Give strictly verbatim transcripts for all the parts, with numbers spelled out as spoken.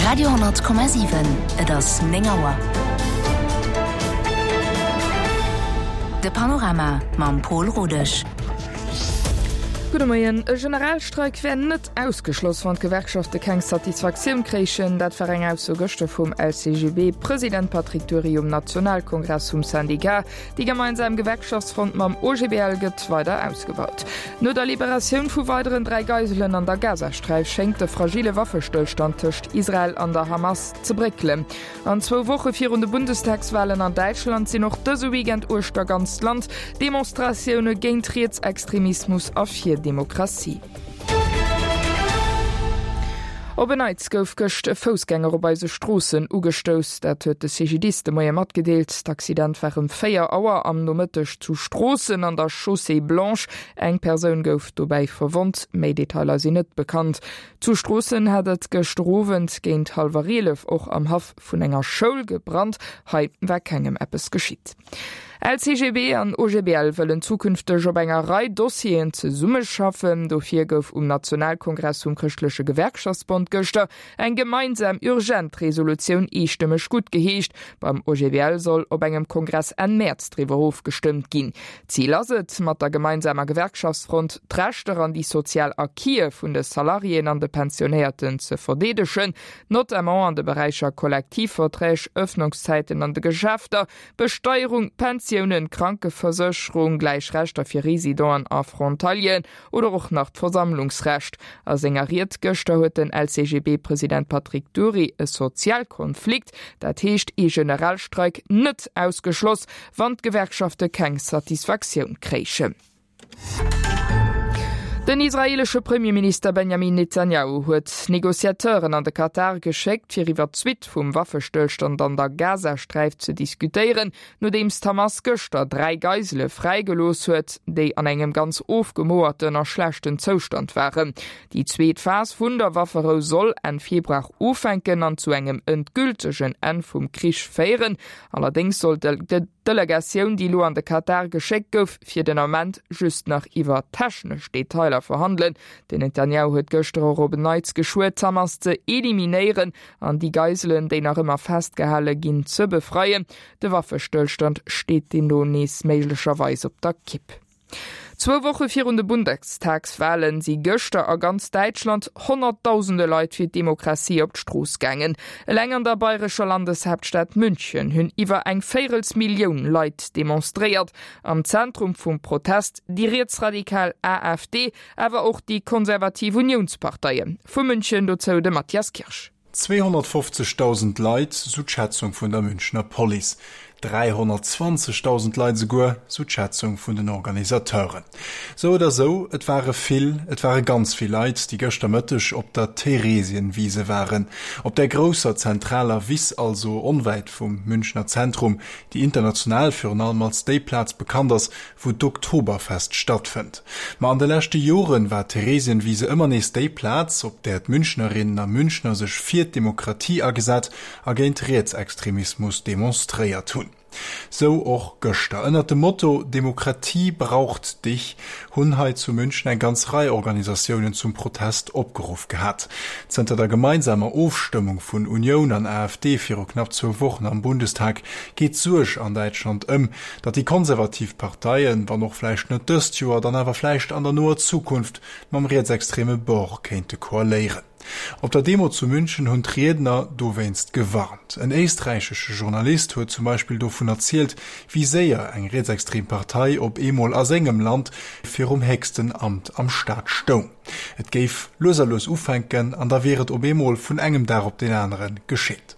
Radio honnert Komma siwen, Et ass néng Auer. De Panorama mam Pol Rodesch. Gudde Moien. E Generalstreik wär net ausgeschloss, wann d'Gewerkschafte keng Satisfaktioun kréichen. Dat war eng Ausso gëschter vum L C G B-President Patrick Dury um Nationalkongress vum Syndicat. Déi gemeinsam Gewerkschaftsfront mam O G B L gëtt weider ausgebaut. No der Liberatioun vu weideren dräi Geiselen an der Gazasträif schéngt de fragile Waffestëllstand tëscht Israel an der Hamas ze bréckelen. An zwou Woche virun de Bundestagswalen an Däitschland sinn och dëse Weekend uechter ganzt Land Demonstratioune géint Rietsextremismus a fir Demokratie. Op en Neits gouf gëscht e Foussgänger op eise Stroossen ugestouss. Dat huet de C G D I S de Moie matgedeelt. D'Accident war ëm véier Auer am Nomëtteg zu Stroossen an der Chaussée Blanche. Eng Persoun gouf dobäi verwonnt. Méi Detailer sinn net bekannt. Zu Stroossen hat et gëschter Owend géint hallwer eelef och am Haff vun enger Schoul gebrannt. Hei war kengem eppes geschitt. L C G B an O G B L wëllen zukünfteg op enger Rei Dossieren zesummeschaffen. Dofir gouf um Nationalkongress vum Chrëschtleche Gewerkschaftsbond gëschter eng gemeinsam urgent Resolutioun eestëmmeg guttgeheescht. Beim O G B L soll op engem Kongress Enn Mäerz driwwer ofgestëmmt ginn. Zil ass et, mat der gemeinsamer Gewerkschaftsfront d'Rechter an déi sozial Acquise vun de Salariéen an de Pensionéierten ze verdeedegen, notamment an de Beräicher Kollektivverträg, Ëffnungszäiten an de Geschäfter, Besteierung, Pensiounen, Krankeversécherung, gläich Rechter fir Residenten a Frontalieren oder och nach d'Versammlungsrecht. A senger Ried gëschter huet den L C G B-President Patrick Dury e Sozialkonflikt, dat heescht e Generalstreik, net ausgeschloss, wann d'Gewerkschafte keng Satisfaktioun kréichen. Den israelesche Premierminister Benjamin Netanyahu huet Negociateuren an de Katar geschéckt, fir iwwer d'Suite vum Waffestëllstand an der Gazasträif ze diskutéieren, nodeems d'Hamas gëschter dräi Geisele fräigelooss huet, déi an engem ganz ofgemogerten a schlechten Zoustand waren. Déi zweet Phas vun der Wafferou soll Enn Februar ufänken an zu engem endgültegen Enn vum Krich féieren. Allerdéngs soll d'Delegatioun, déi lo an de Katar geschéckt gouf, fir den Ament just nach iwwer technesch Detailer verhandelen. Den Netanyahu huet gëschter och op en Neits geschwuer, d'Hamas ze eliminéieren an déi Geiselen, déi nach ëmmer festgehale ginn, ze befreien. De Waffestëllstand steet deemno nees méiglecherweis op der Kipp. Zwou Woche virun de Bundestagswalen si gëschter a ganz Däitschland honnertdausende Leit fir d'Demokratie op d'Strooss gaangen. Eleng an der bayrescher Landeshaaptstad München hunn iwwer eng Véierelsmillioun Leit demonstréiert. Am Zentrum vum Protest déi rietsradikal A F D, awer och déi konservativ Uniounsparteien. Vu München dozou de Matthias Kirsch. zweehonnertfofzegdausend Leit, sou d'Schätzung vun der Münchner Police. dräihonnertzwanzegdausend Leit souguer, sou d'Schätzung vun den Organisateuren. Sou oder sou, et ware vill, et ware ganz vill Leit, déi gëschter Mëtteg op der Theresienwiese waren. Op der grousser zentraler Wiss, also onwäit vum Münchner Zentrum, déi international virun allem als déi Plaz bekannt ass, wou d'Oktoberfest stattfënnt. Ma an de leschte Joren war d'Theresienwiese ëmmer nees déi Plaz, op där d'Münchnerinnen a Münchner sech fir d'Demokratie agesat a géint Rietsextremismus demonstréiert hunn. Sou och gëschter. Ënnert dem Motto „Demokratie braucht dich" hunn hei zu München eng ganz Rei Organisatiounen zum Protest opgeruff gehat. Zënter der gemeinsamer Ofstëmmung vun Unioun an A F D viru knapp zwou Wochen am Bundestag geet d'Suerg an Däitschland ëm, datt déi konservativ Parteien, wann och vläicht net dëst Joer, dann awer vläicht an der noer Zukunft mam rietsextreme Bord kéinte koaléieren. Op der Demo zu München hunn d'Riedner dowéinst gewarnt. En éisträichesche Journalist huet zum Beispill dovun erzielt, wéi séier eng rietsextrem Partei op eemol a sengem Land virum héchsten Amt am Staat stoung. Et géif lues a lues ufänken an da wier et op eemol vun engem Dag op deen anere geschitt.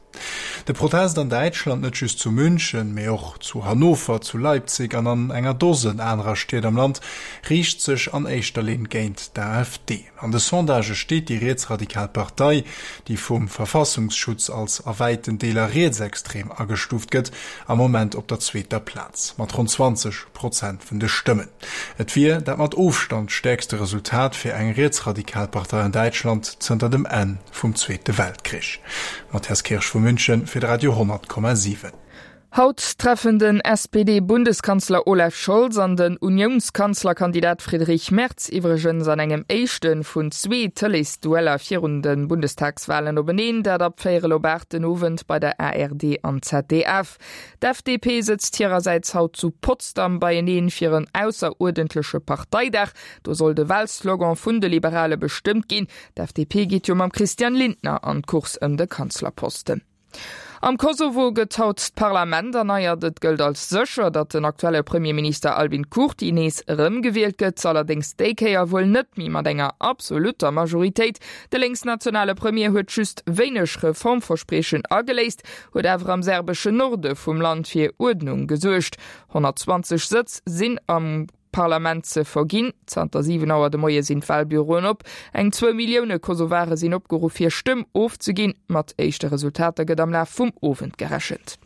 De Protest an Däitschland, net just zu München, mee och zu Hannover, zu Leipzig an an enger Dosen anerer Stied am Land, riicht sech an éischter Linn géint d'A F D. An de Sondagë steet déi rietsradikal Partei, déi vum Verfassungsschutz als a wäiten Deeler rietsextrem agestuuft gëtt, am Moment op der zweeter Plaz mat ronn zwanzeg Prozent vun de Stëmmen. Et wier dat mat Ofstand stäerkste Resultat fir eng rietsradikal Partei an Däitschland zënter dem Enn vum Zweete Weltkrich. Matthias Kirsch vu München fir de Radio honnert Komma siwen. Haut treffen den S P D-Bundeskanzler Olaf Scholz an den Unionskanzlerkandidat Friedrich Merz iwwregens an engem éischte vun zwee Tëleesdueller virun de Bundestagswalen openeen, dat ab véierel op aacht den Owend bei der A R D an Z D F. D'F D P sëtzt hirersäits haut zu Potsdam beieneen fir en ausseruerdentleche Parteidag. Do soll de Wahlslogan vun de Liberale bestëmmt ginn. D'F D P geet jo mam Christian Lindner an d'Course ëm de Kanzlerposten. Am Kosovo gëtt haut d'Parlament erneiert. Et gëllt als sécher, datt den aktuelle Premierminister Albin Kurti nees erëmgewielt gëtt, allerdéngs déi Kéier wuel net méi mat enger absolutter Majoritéit. De linksnationale Premier huet just wéineg Reformverspriechen ageléist, huet awer am serbeschen Norde vum Land fir Uerdnung gesuergt. honnertzwanzeg Sëtz sinn am Parlament ze verginn. Zanter siwen Auer de Moie sinn d'Wahlbüroen op. Eng zwou Millioune Kosovare sinn opgeruff, hir Stëmm ofzeginn. Mat éischte Resultater gëtt am Laf vum Owend gerechent.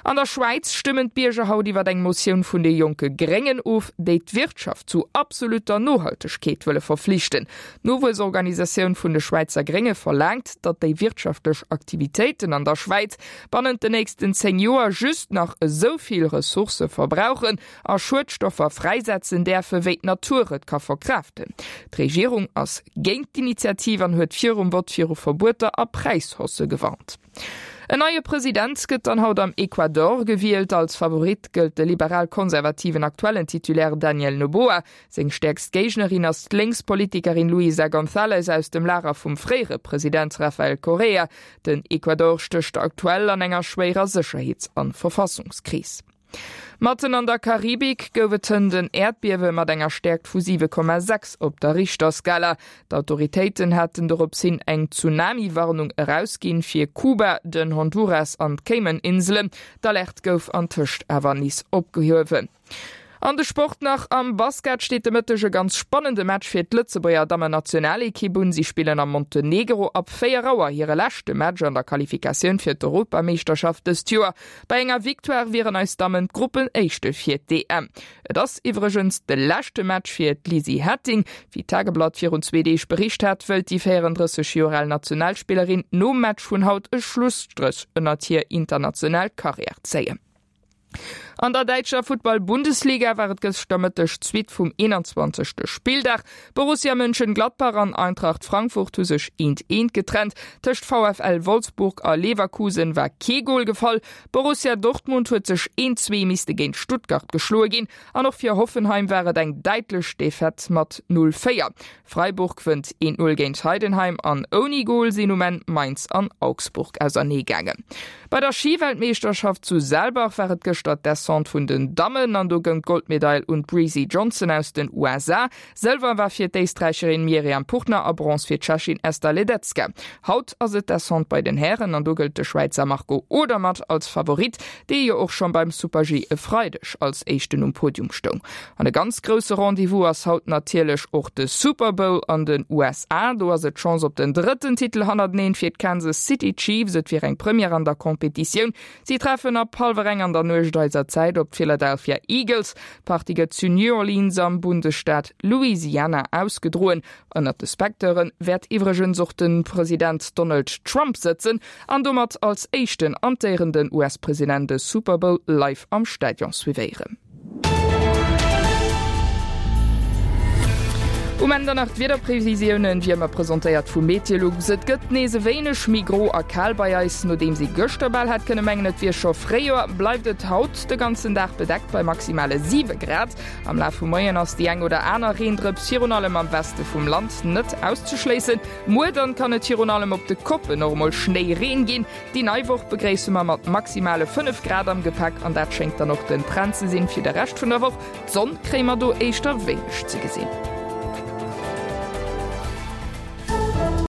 An der Schwäiz stëmmen d'Bierger haut iwwer eng Motioun vun de jonke Gréngen of, déi d'Wirtschaft zu absolutter Nohaltegkeet wëlle verflichten. D'Nowuessorganisatioun vun de Schwäizer Grénge verlaangt, datt déi wirtschaftlech Aktivitéiten an der Schwäiz bannent den nächsten zéng Joer just nach esou vill Ressourcë verbrauchen a Schuedstoffer fräisetzen däerfe wéi d'Natur et ka verkraaften. D'Regierung ass géint d'Initiativ an huet virum Vott viru Verbueter a Präishaussë gewarnt. En neie President gëtt dann haut am Ecuador gewielt. Als Favorit gëllt de liberal-konservativen aktuellen Titulaire Daniel Noboa. Seng stäerkst Géignerin ass d'Lénkspolitikerin Luisa González aus dem Lager vum fréiere President Rafael Correa. Den Ecuador stécht aktuell an enger schwéierer Sécherheets- an Verfassungskris. Matten an der Karibik gouf et hënt en Äerdbiewe mat enger Stäerkt vu siwe Komma sechs op der Richterskala. D'Autoritéiten haten dorops hin eng Tsunami-Warnung erausginn fir Kuba, den Honduras an d'Cayman-Inselen. D'Alerte gouf antëscht awer nees opgehuewen. An de Sport nach am Basket steet de Mëtteg e ganz spannende Match fir d'Lëtzebuerger Dammen-Nationalekipp un. Si spillen am Montenegro ab véier Auer hire leschte Match an der Qualifikatioun fir d'Europameeschterschaft dëst Joer. Bei enger Victoire wieren eis Dammen d'Gruppenéischte fir d'E M. Et ass iwwregens de leschte Match fir d'Lizzy Hetting. Wéi d'Tageblatt virun zwee Deeg bericht hat, wëllt déi véierunddrësseg Joer al Nationalspillerin nom Match vun haut e Schlusstréch ënnert hir international Karriär zéien. An der däitscher Futtball-Bundesliga war et gëschter Mëtteg d'Suite vum eenanzwanzegste Spilldag. Borussia Mönchengladbach an Eintracht Frankfurt hu sech eent eent getrennt. Tëscht VfL Wolfsburg a Leverkusen war kee Gol gefall. Borussia Dortmund huet sech eent zwee misste géint Stuttgart geschloe ginn. An och fir Hoffenheim war et eng däitlech Defaite mat null véier. Freiburg wënnt eent null géint Heidenheim an ouni Gol sinn um Enn Mainz an Augsburg auserneegaangen. Bei der Skiweltmeeschterschaft zu Saalbach war et gëschter d'Descente vun den Dammen an do goung d'Goldmedail un d'Breezy Johnson aus den U S A. Sëlwer war fir d'Éisträicherin Miriam Puchner a Bronze fir d'Tschechin Esther Ledecka. Haut ass et d'Descente bei den Hären an do gëllt de Schwäizer Marco Odermatt als Favorit, dee jo och schonn beim Super-G e Freideg als éischten um Podium stoung. An e ganz grousse Rendezvous ass haut natierlech och de Super Bowl an den U S A. Do ass et d'Chance op den drëtten Titel hannerteneen fir d'Kansas City Chiefs. Et wier eng Première an der Kompetitioun. Si treffen ab hallwer eng an der Nuecht eiser Zäit op d'Philadelphia Eagles. D'Partie gëtt zu New Orleans am Bundesstaat Louisiana ausgedroen. Ënnert de Spectateuren wäert iwwregens och den President Donald Trump sëtzen an domat als éischten amtéierenden U S-President de Super Bowl live am Stadion suivéieren. Um Ende nach d'Wiederprevisiounen, wie ëmmer presentéiert vu Meteolux. Et gëtt nees e wéineg méi gro a kal bei eis. Nodeem si gëschter bal hätt kënne mengen, et wier scho Fréijoer, bleift et haut de ganzen Dag bedeckt bei maximale siwe Grad. Am Laf vum Moien ass déi eng oder aner Reendrëps virun allem am Weste vum Land net auszeschléissen. Muer dann kann et virun allem op de Koppen och emol Schnéireen ginn. Déi nei Woch begréisse mer mat maximale fënnef Grad am Gepäck an dat schéngt dann och den Trend ze sinn fir de Rescht vun der Woch. D'Sonn kréie mer do éischter wéineg ze gesinn.